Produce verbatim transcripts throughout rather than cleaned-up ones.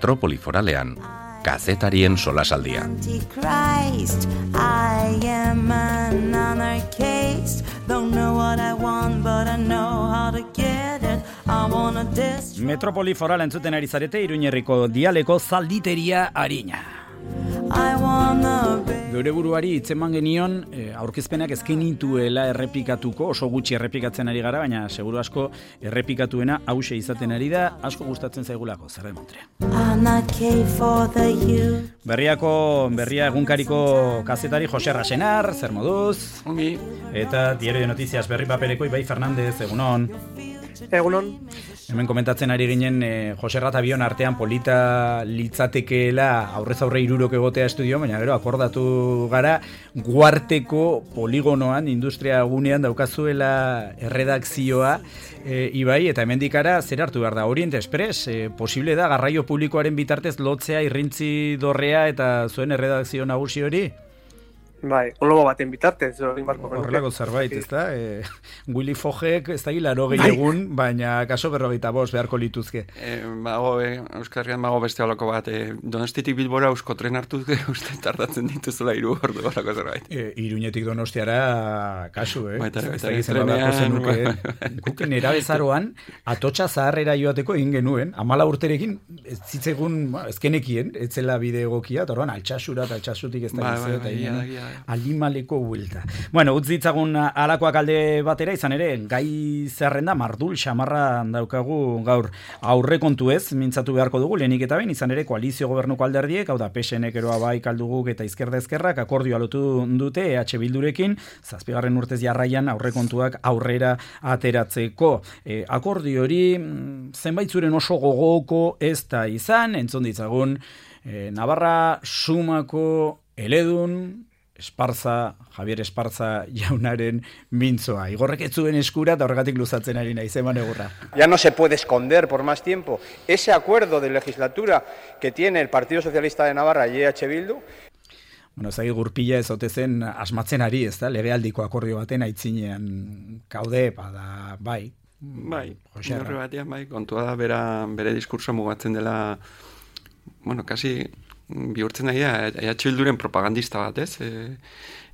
Metropoli Foralean, kazetarien solasaldia. Metropoli Foral entzuten ari zarete, Iruñerriko dialeko zalditeria arina. Geure buruari hitzeman genion e, aurkezpenak ezkenituela errepikatuko, oso gutxi errepikatzen ari gara, baina seguru asko errepikatuena hause izaten ari da, asko gustatzen zaigulako, zer demontrea. Berriako, berria egunkariko kazetari Jose Rasenar, zer moduz? Ongi. Eta Diario de Noticias berri papereko Ibai Fernandez, egunon. Egunon. Hemen komentatzen ari ginen eh, Jose Ratabion artean polita litzatekeela aurrez aurre hirurok egotea estudio, baina gero akordatu gara Guarteko poligonoan, industria gunean daukazuela erredakzioa, e, Ibai, eta hemendik ara zer hartu behar da, Orient Express, e, posible da garraio publikoaren bitartez lotzea irrintzi dorrea eta zuen erredakzio nagusi hori? Bai, olobo baten bitartez, hori marko genuke. Horrelako zerbait, ez da? E, Willy Fogek ez da hilaro gehi egun, baina kaso berrogeita bost beharko lituzke. E, bago, e, Euskarrian bago beste olako bat, e, Donostiatik Bilbora eusko tren hartuz, uste tardatzen dituzula hiru ordu olako zerbait. E, Iruñetik Donostiara kasu, eh? Baita, baita, trenean. Guken erabezaroan, atotxa zaharrera joateko egin genuen, amala urterekin, ez zitzegun, ezkenekien, etzela bide egokia, eta orduan altxasura eta altxasutik ez da gizet, eta alimaleko huelta. Bueno, utz ditzagun alakoak alde batera, izan ere, gai zerrenda mardul xamarra daukagu gaur aurrekontu ez, mintzatu beharko dugu, lehenik eta behin, izan ere, koalizio gobernuko alderdiek, hau da, P S N eroa bai kalduguk eta izkerda ezkerrak, akordioa lotu dute E H Bildurekin, zazpigarren urtez jarraian aurrekontuak aurrera ateratzeko. E, akordio hori, zenbait zuren oso gogoko ez da izan, entzun ditzagun, e, Navarra Sumako eledun, Esparza, Javier Esparza jaunaren mintzoa. Igorrek ez zuen eskura eta horregatik luzatzen ari naiz, eman egurra. Ya no se puede esconder por más tiempo ese acuerdo de legislatura que tiene el Partido Socialista de Navarra y E H Bildu. Bueno, zagi gurpila ez ote zen asmatzen ari, ez da? Legealdiko akordio baten aitzinean kaude, bada, bai. Bai, horre batean, bai, kontua da bera, bere diskurso mugatzen dela, bueno, kasi bihurtzen daia, E H Bilduren propagandista bat, ez? E,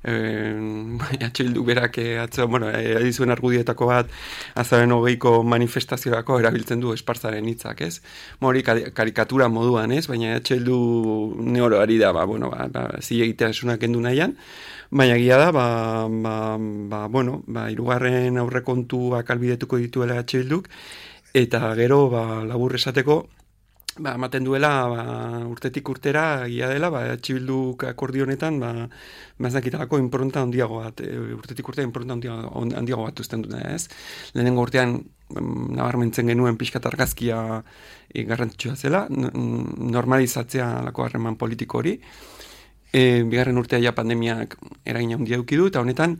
e, E H Bildu berak atzo, bueno, edizuen argudietako bat azaren hogeiko manifestaziorako erabiltzen du Esparzaren hitzak, ez? Hori karikatura moduan, ez? Baina E H Bildu neoro ari da, ba, bueno, ba, ba, zilegitea esunak endu nahian, baina egia da, ba, ba, ba, bueno, ba, irugarren aurrekontuak albidetuko dituela E H Bilduk, eta gero, ba, labur esateko, ba, ematen duela ba, urtetik urtera egia dela, ba, E H Bilduk akordio honetan, ba, maznakitalako inpronta handiago bat, e, urtetik urtea inpronta handiago, handiago bat uzten dute, ez? Lehenengo urtean nabarmentzen genuen pixkat argazkia e, garrantzitsua zela, normalizatzea lako harreman politiko hori, e, bigarren urtea ja pandemiak eragin handia eduki du, eta honetan,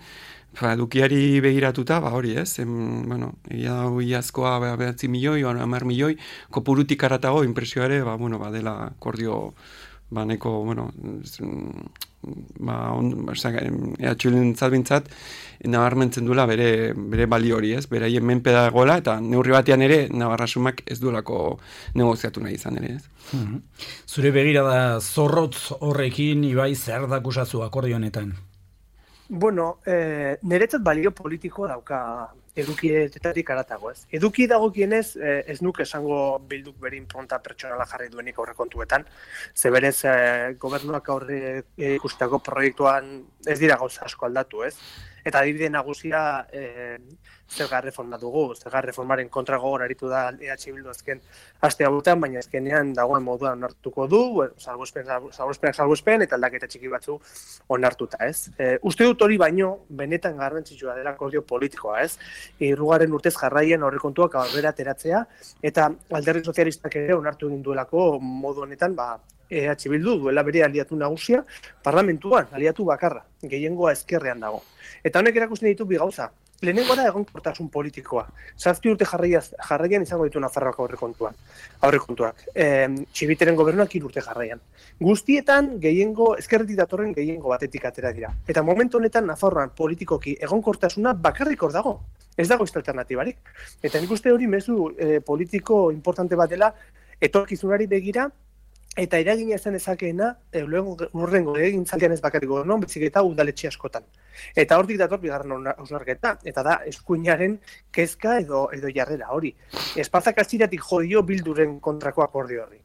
Ba, edukiari begiratuta, ba hori ez, em, bueno, egia da iazkoa behatzi milioi, hamar milioi, kopurutik aratago impresioare, ba, bueno, ba, dela akordio, ba, neko, bueno, ba, on, E H Bildun zalbintzat, nabarmentzen duela bere, bere balio hori ez, bere haien menpe dagoela, eta neurri batean ere, Navarrasumak ez duelako negoziatu nahi izan ere ez. Mm-hmm. Zure begira da zorrotz horrekin, Ibai, zer dakusazu akordio honetan? Bueno, eh, niretzat balio politiko dauka edukietatik aratago, ez. Eduki dagokienez, eh, ez nuke esango Bilduk bere inpronta pertsonala jarri duenik aurrekontuetan, ze berez eh, gobernuak aurre ikusteko proiektuan ez dira gauza asko aldatu, ez. Eta adibide nagusia eh, zerga reforma dugu, zerga reformaren kontra gogor aritu da E H Bildu azken aste hauetan, baina azkenean dagoen moduan onartuko du, salbuespen, salbuespenak salbuespen eta aldaketa txiki batzu onartuta, ez? E, uste dut hori baino benetan garrantzitsua dela akordio politikoa, ez? Hirugarren urtez jarraien aurrekontuak aurrera ateratzea eta alderdi sozialistak ere onartu egin duelako modu honetan, ba E H Bildu duela bere aliatu nagusia parlamentuan, aliatu bakarra, gehiengoa ezkerrean dago. Eta honek erakusten ditu bi gauza. Lehenengo da egonkortasun politikoa. Zazpi urte jarraiaz, jarraian izango ditu Nafarroako aurrekontuak. Aurrekontuak. E, Txibiteren gobernuak hiru urte jarraian. Guztietan gehiengo ezkerretik datorren gehiengo batetik atera dira. Eta momentu honetan Nafarroan politikoki egonkortasuna bakarrik hor dago. Ez dago beste alternatibarik. Eta nik uste hori mezu e, politiko importante bat dela etorkizunari begira eta eragina izan ezakeena, urrengo egintzaldian ez bakarrik gobernuan, bezik eta udaletxe askotan. Eta hortik dator bigarren hausnarketa, eta da eskuinaren kezka edo edo jarrera hori. Espazak aziratik jodio Bilduren kontrako akordio horri.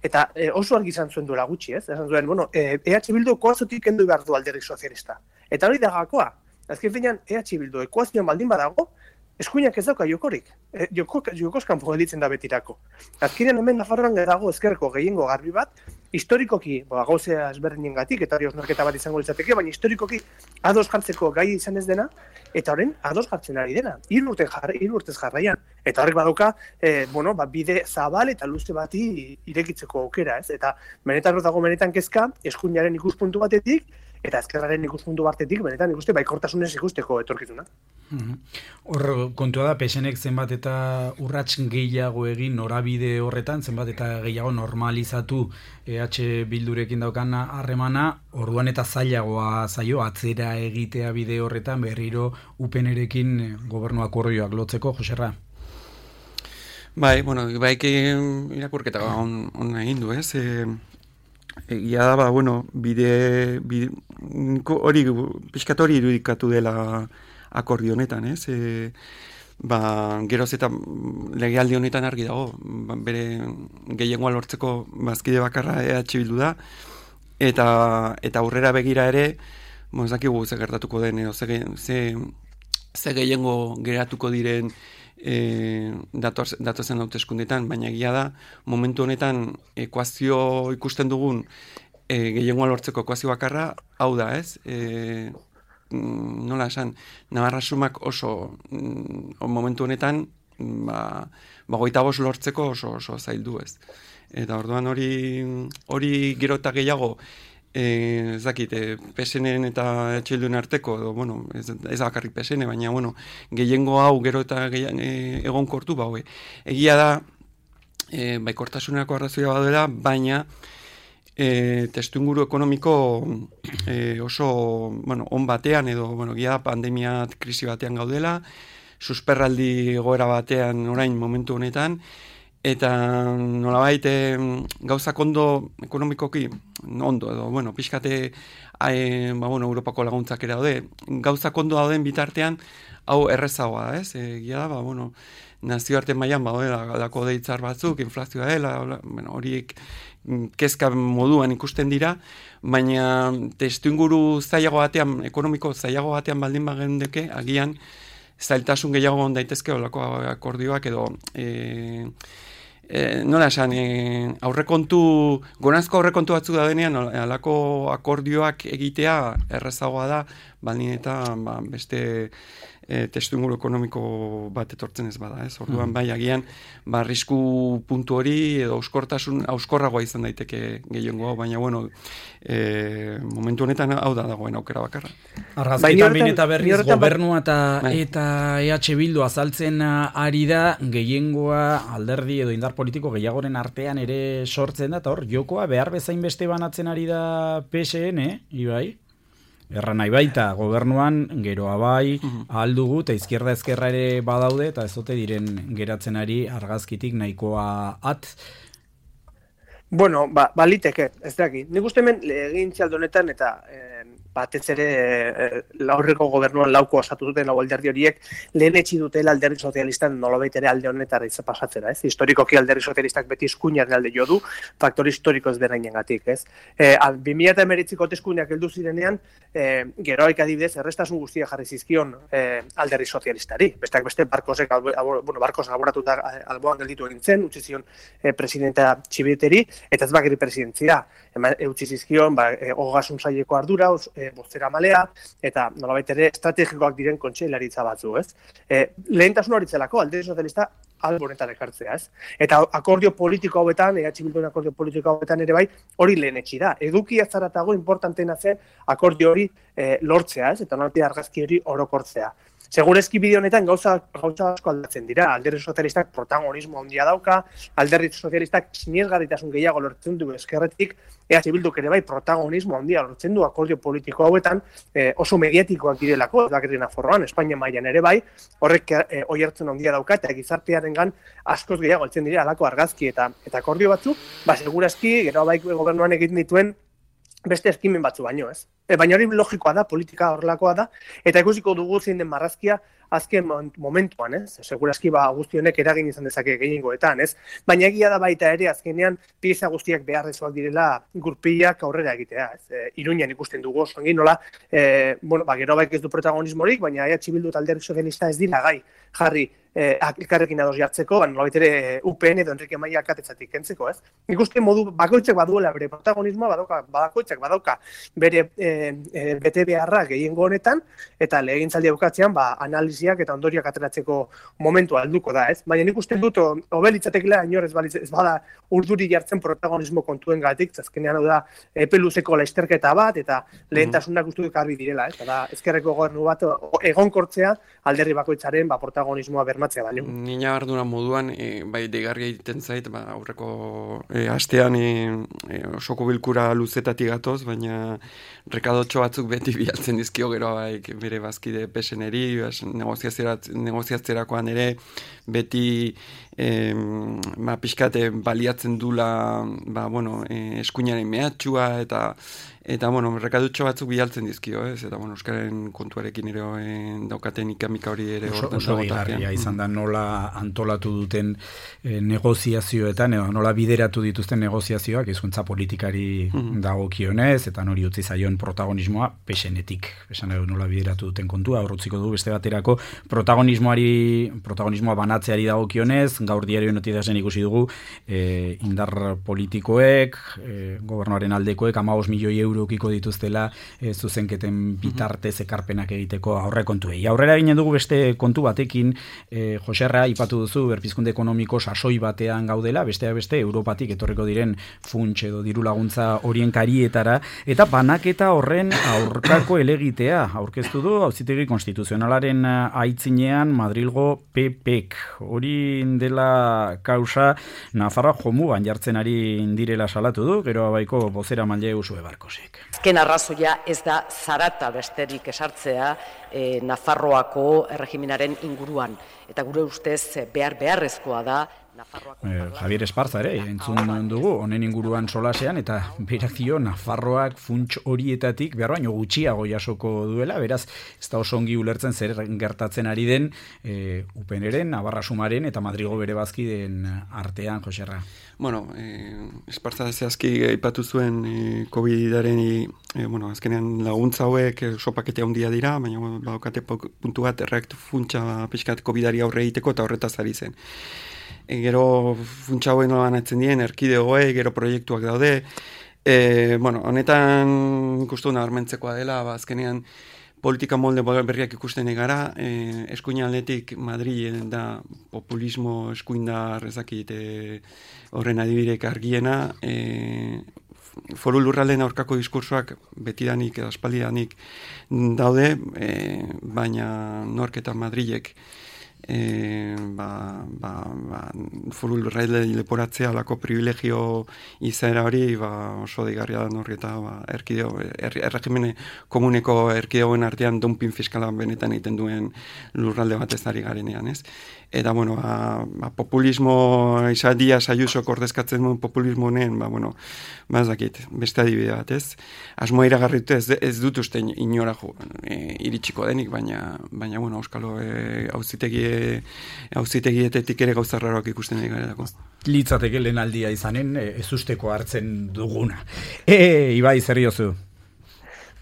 Eta e, oso argi izan zuen duela gutxi, ez? Esan zuen, bueno, e, EH Bildu ekuaziotik kendu behar du alderdi sozialista. Eta hori da gakoa. Azken finean, EH Bildu ekuazioan baldin badago, eskuinak ez dauka jokorik. E, joko, jokoskan gelditzen da betirako. Azkenean hemen Nafarroan dago ezkerreko gehiengo garbi bat, historikoki, ba, gauzea ezberdinengatik, eta hori osnarketa bat izango litzateke, baina historikoki ados jartzeko gai izan ez dena, eta horren ados jartzen ari dena. Hiru urte jar, hiru urtez jarraian. Eta horrek badauka, e, bueno, ba, bide zabal eta luze bati irekitzeko aukera, ez? Eta benetan dago benetan kezka, eskuinaren ikuspuntu batetik, eta ezkerraren ikuspuntu batetik, benetan ikuste baikortasunez ikusteko etorkizuna. Hor, kontua da, P S Nek zenbat eta urrats gehiago egin norabide horretan, zenbat eta gehiago normalizatu E H Bildurekin daukana harremana, orduan eta zailagoa zaio, atzera egitea bide horretan, berriro U P Nerekin gobernu akordioak lotzeko, Joserra? Bai, bueno, bai irakurketa on, on egin du, ez? E, egia da, ba, bueno, bide, bide hori, pixkat hori irudikatu dela akordio honetan, ez? E, ba, geroz eta legealdi honetan argi dago, ba, bere gehiengoa lortzeko bazkide bakarra E H Bildu da, eta, eta aurrera begira ere, bon, ez dakigu ze gertatuko den, edo ze, ze, ze gehiengo geratuko diren E, dator, datozen hauteskundetan, baina egia da, momentu honetan ekuazio ikusten dugun e, gehiengoa lortzeko ekuazio bakarra, hau da, ez? E, nola esan, Navarra sumak oso mm, momentu honetan ba, ba goita bost lortzeko oso, oso zaildu, ez? Eta orduan hori hori gero eta gehiago Eh, ez dakit, eh, P S N eta E H Bilduen arteko, edo, bueno, ez, ez bakarrik P S N, baina, bueno, gehiengo hau gero eta gehiago, eh, egon kortu, ba, hoi. Egia da, eh, baikortasunako arrazoia badela, baina eh, testuinguru ekonomiko eh, oso, bueno, on batean, edo, bueno, egia da, pandemia krisi batean gaudela, susperraldi egoera batean orain momentu honetan, eta nolabait e, gauzak ondo ekonomikoki ondo edo bueno pixkate e, ba bueno Europako laguntzak ere daude gauzak ondo dauden bitartean hau errezagoa da, ez? Egia da, ba bueno nazioarte mailan badela galako deitzar batzuk, inflazioa dela, bueno horiek kezka moduan ikusten dira, baina testuinguru zailago batean, ekonomiko zailago batean baldin bagendeke, agian zailtasun gehiago on daitezke holako akordioak edo e, E, nola esan, e, aurrekontu, gonazko aurrekontu batzuk da denean, halako akordioak egitea errezagoa da, baldin eta ba, beste e, testuinguru ekonomiko bat etortzen ez bada, ez? Orduan, bai, agian, ba, arrisku puntu hori edo auskortasun, auskorragoa izan daiteke gehiengo hau, baina, bueno, e, momentu honetan hau da dagoen aukera bakarra. Argazkitan behin eta berriz gobernua eta, eta E H Bildu azaltzen ari da, gehiengoa alderdi edo indar politiko gehiagoren artean ere sortzen da, eta hor, jokoa behar bezain beste banatzen ari da P S N, Ibai? Erra nahi baita, gobernuan, geroa bai, uh-huh. ahal dugu, eta izquierda ezkerra ere badaude, eta ez ote diren geratzen ari argazkitik nahikoa at. Bueno, ba, baliteke, ez daki. Nik uste hemen egin txaldonetan eta eh, batez ere eh, laurreko gobernuan lauko osatu duten lau alderdi horiek lehen etxi dutela alderdi sozialistan nolabait ere alde honetara izan pasatzera, ez? Historikoki alderdi sozialistak beti eskuinaren alde jo du, faktori historiko ez berainengatik, ez? Eh, bi mila hemeretziko hauteskundeak heldu zirenean, eh, geroik adibidez errestasun guztia jarri zizkion eh, alderdi sozialistari. Besteak beste barkosek, albo, bueno, barkos laboratuta alboan gelditu egin zen, utzi zion eh, presidenta Txibiteri, eta ez bakeri presidentzia, eutzi zizkion, ba, e, ogasun saileko ardura, e, bozera malea, eta nolabait ere estrategikoak diren kontseilaritza batzu, ez? E, lehentasun horitzelako, alderdi sozialista albonetan ekartzea, ez? Eta akordio politiko hauetan, E H Bilduen akordio politiko hauetan ere bai, hori lehen etxi da. Eduki azaratago importantena zen akordio hori e, lortzea, ez? Eta nolabait argazki hori orokortzea. Segurezki bideo honetan gauza, gauza asko aldatzen dira. Alderdi sozialistak protagonismo handia dauka, alderdi sozialistak sinesgarritasun gehiago lortzen du ezkerretik, E H Bilduk ere bai protagonismo handia lortzen du akordio politiko hauetan, eh, oso mediatikoak direlako, ez bakarrik Nafarroan, Espainia mailan ere bai, horrek eh, oihartzun handia dauka eta gizartean herritarrengan askoz gehiago heltzen dira halako argazki eta eta akordio batzuk, ba segurazki gero bai gobernuan egiten dituen beste eskimen batzu baino, ez? E, baina hori logikoa da, politika horrelakoa da, eta ikusiko dugu zein den marrazkia azken momentuan, ez? Segurazki ba guztionek eragin izan dezake gehiengoetan, ez? Baina egia da baita ere azkenean pieza guztiak beharrezkoak direla gurpilak aurrera egitea, ez? E, Iruñan ikusten dugu oso ongi nola, e, bueno, ba gero baik ez du protagonismorik, baina E H Bildu eta Alderdi Sozialista ez dira gai jarri eh, elkarrekin ados jartzeko, ba nolabait ere U P N edo Enrique Maia alkatetzatik kentzeko, ez? Ikusten modu bakoitzak baduela bere protagonismoa, badauka, bakoitzak badauka bere e, e, bete beharra gehiengo honetan, eta legegintzaldia bukatzean ba analisiak eta ondoriak ateratzeko momentua helduko da, ez? Baina nik uste dut hobelitzatekela inor ez balitz ez bada urduri jartzen protagonismo kontuengatik, azkenean hau da epe luzeko lasterketa bat eta lehentasunak uste dut garbi direla, ez? Da ezkerreko gobernu bat egonkortzea alderdi bakoitzaren ba protagonismoa bermatzea baino. Nina ardura moduan e, bai deigarria egiten zait, ba aurreko e, astean e, e, osoko bilkura luzetatik gatoz, baina rekadotxo batzuk beti bialtzen dizkio gero bai bere bazkide P S N-eri, negoziatzerakoan ere beti eh, ba, pixkate baliatzen dula ba, bueno, eh, eskuinaren mehatxua eta eta bueno, rekadutxo batzuk bialtzen dizkio, ez? Eta bueno, euskaren kontuarekin ere eh, daukaten ikamika hori ere oso, oso bigarria izan da nola antolatu duten eh, negoziazioetan edo nola bideratu dituzten negoziazioak hizkuntza politikari mm. dagokionez eta nori utzi zaion protagonismoa P S N-etik. Esan edo nola bideratu duten kontua, aurrutziko du beste baterako protagonismoari protagonismoa banatzeari dagokionez, gaur diario notiziasen ikusi dugu eh, indar politikoek, eh, gobernuaren aldekoek hamabost milioi euro ukiko dituztela e, zuzenketen bitartez ekarpenak egiteko aurrekontuei. Aurrera ginen dugu beste kontu batekin, e, Joserra, ipatu duzu, berpizkunde ekonomiko sasoi batean gaudela, besteak beste, Europatik etorriko diren funts edo diru laguntza horien karietara, eta banaketa horren aurkako elegitea aurkeztu du, Auzitegi Konstituzionalaren aitzinean Madrilgo P Pk. Hori dela kausa Nafarroa jomugan jartzen ari indirela salatu du, gero abaiko bozera maile Usue Barkosek. Azken arrazoia ez da zarata besterik esartzea e, Nafarroako erregimenaren inguruan. Eta gure ustez behar beharrezkoa da Eh, Javier Esparza ere, entzun dugu, honen inguruan solasean, eta berak dio Nafarroak funts horietatik behar baino gutxiago jasoko duela, beraz, ez da oso ongi ulertzen zer gertatzen ari den eh, U P N-eren, Navarra Sumaren eta Madrigo bere bazkideen artean, Joserra. Bueno, eh, Esparza zehazki aipatu zuen eh, COVID-aren eh, bueno, azkenean laguntza hauek oso pakete handia dira, baina bueno, badokate puntu bat erreaktu funtsa pixkat COVID-ari aurre egiteko eta horretaz ari zen. E, gero funtsa hauen banatzen dien, erkidegoei, gero proiektuak daude. E, bueno, honetan ikustu nabarmentzekoa dela, ba, azkenean politika molde berriak ikusten egara, e, eskuin aldetik Madrilen da populismo eskuindar ezakit e, horren adibidek argiena, e, foru lurralden aurkako diskursoak betidanik edo aspaldidanik daude, e, baina nork eta Madrilek E, ba, ba, ba, foru lurralde leporatzea alako privilegio izaera hori ba, oso digarria da norri eta ba, erkideo, er, erregimene komuneko erkideoen artean dumping fiskala benetan egiten duen lurralde bat ez ari garenean, ez? Eta, bueno, ba, ba, populismo izadia saiuso kordezkatzen duen populismo honen, ba, bueno, ba, ez dakit, beste adibide bat, ez? Asmoa iragarritu ez, ez dut uste inora jo, e, iritsiko denik, baina, baina bueno, Euskalo e, auzitegi auzitegietetik ere gauza raroak ikusten ari garelako. Litzateke lehen aldia izanen, ez usteko hartzen duguna. E, Ibai, zer diozu?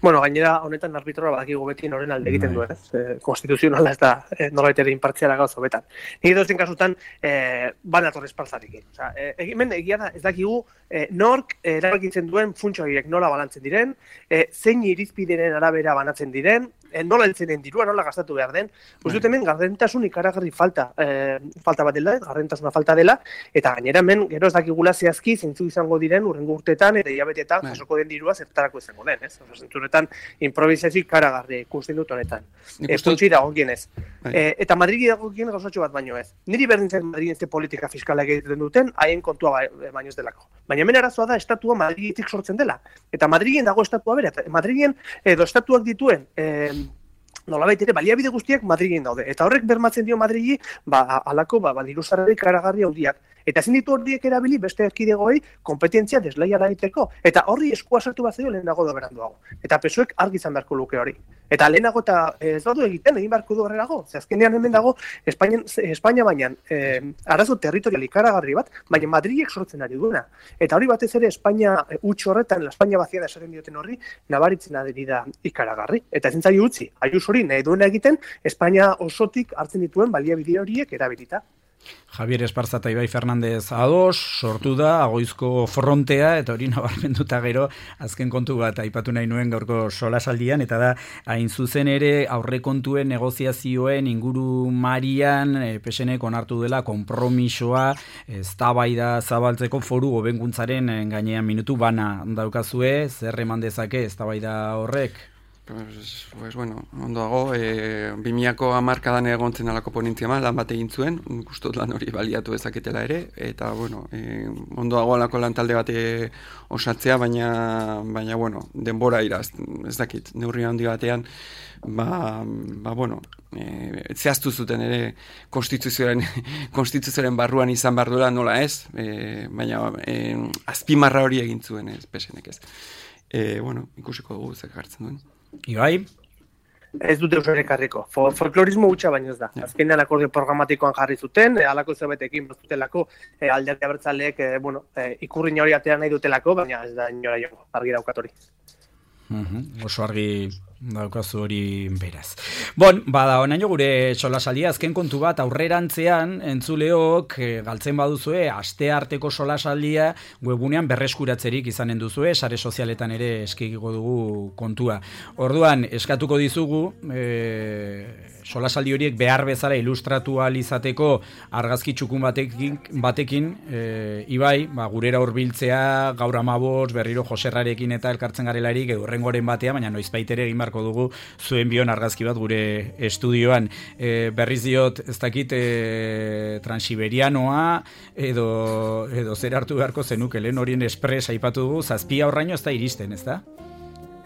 Bueno, gainera, honetan arbitroa badakigu beti noren alde egiten duen, ez? E, konstituzionala ez da e, norbait ere inpartziala gauza hobetan. Nik dozen kasutan, e, banator espartzarekin. Osea, e, egimen egia da, ez dakigu, e, nork erabakitzen duen funtsa horiek nola balantzen diren, e, zein irizpideren arabera banatzen diren, e, nola heltzen den dirua, nola gastatu behar den. Uste dut hemen gardentasun ikaragarri falta, e, falta bat dela, gardentasuna falta dela, eta gainera hemen gero ez dakigula zehazki zeintzu izango diren urrengo urteetan eta hilabetetan jasoko den dirua zertarako izango den, ez? Osea, zentzuretan improvisazio ikaragarri ikusten dut honetan. E, Funtsi dagokienez. E, eta Madridi dagokien gauzatxo bat baino ez. Niri berdin zen Madriden ze politika fiskala egiten duten, haien kontua baino ez delako. Baina hemen arazoa da estatua Madridetik sortzen dela. Eta Madriden dago estatua bere. Madriden edo estatuak dituen e, nolabait ere baliabide guztiak Madrilen daude. Eta horrek bermatzen dio Madrili, ba, alako, ba, ba diruzarri karagarri handiak. Eta ezin ditu horiek erabili beste erkidegoei konpetentzia desleiala egiteko. Eta horri eskua sartu bat zaio lehenago da beranduago. Eta P S O Ek argi izan beharko luke hori. Eta lehenago eta ez badu egiten, egin beharko du horrelago. Ze azkenean hemen dago, Espainia, Espainia bainan, eh, arazo territorial ikaragarri bat, baina Madrilek sortzen ari duena. Eta hori batez ere Espainia huts horretan, la Espainia baziada esaten dioten horri, nabaritzen ari da ikaragarri. Eta ezin zaio utzi, Ayuso hori nahi duena egiten, Espainia osotik hartzen dituen baliabide horiek erabilita. Javier Esparza eta Ibai Fernandez ados, sortu da, agoizko frontea, eta hori nabarmenduta gero, azken kontu bat aipatu nahi nuen gaurko solasaldian, eta da, hain zuzen ere, aurrekontuen negoziazioen inguru marian, e, P S Nek onartu dela, konpromisoa, eztabaida zabaltzeko foru hobekuntzaren gainean minutu bana daukazue, zer eman dezake eztabaida horrek? Pues, pues bueno, ondo dago, e, bimiako hamarkadan egontzen alako ponentzia ma, lan bat egin zuen, gustot lan hori baliatu ezaketela ere, eta bueno, e, ondo dago alako lan talde bat osatzea, baina, baina bueno, denbora iraz, ez dakit, neurri handi batean, ba, ba bueno, e, zehaztu zuten ere konstituzioaren, konstituzioaren barruan izan behar duela nola ez, e, baina e, azpimarra hori egin zuen ez, P S Nek ez. E, bueno, ikusiko dugu zek hartzen duen. Ibai? Ez dute usore karriko. Folklorismo hutsa baino ez da. Ja. Azkenean akordio programatikoan jarri zuten, e, alako zerbetekin bazutelako, e, alderdi abertzaleek, e, bueno, e, ikurrin hori atera nahi dutelako, baina ez da inora jo, argi daukat hori. Uh-huh. Oso argi daukazu hori beraz. Bon, bada, onaino gure solasaldia azken kontu bat aurrerantzean entzuleok e, galtzen baduzue aste arteko solasaldia webunean berreskuratzerik izanen duzue, sare sozialetan ere eskiko dugu kontua. Orduan, eskatuko dizugu e, solasaldi horiek behar bezala ilustratu ahal izateko argazki txukun batekin, batekin e, Ibai, ba, gurera hurbiltzea gaur amabos, berriro Joserrarekin eta elkartzen garelarik edo rengoren batea, baina noizbait ere egin beharko dugu zuen bion argazki bat gure estudioan. E, berriz diot, ez dakit e, transiberianoa edo, edo zer hartu beharko zenuke, lehen horien espres aipatu dugu, zazpia horraino ez da iristen, ez da?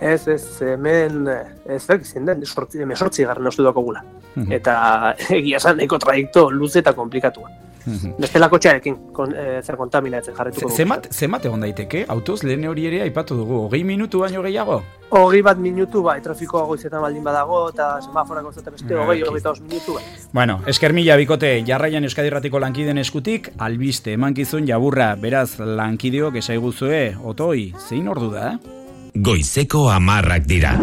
Ez, ez, hemen, ez da, izin den, emesortzi garren ostu dako gula. Eta egia esan nahiko trajekto luze eta komplikatua. Bestelako txarekin, kon, e, zer kontaminatzen jarretuko dugu. Zemat, zemat egon daiteke, autoz lehen hori ere aipatu dugu, hogei minutu baino gehiago? Hogei bat minutu, bai, trafikoa goizetan baldin badago, eta semaforak ozeta beste, hogei, hogei eta os minutu, bai. Bueno, esker mila bikote, jarraian Euskadi Irratiko lankideen eskutik, albiste, emankizun jaburra, beraz, lankideok esaiguzue, otoi, zein ordu da? Goizeko hamarrak dira.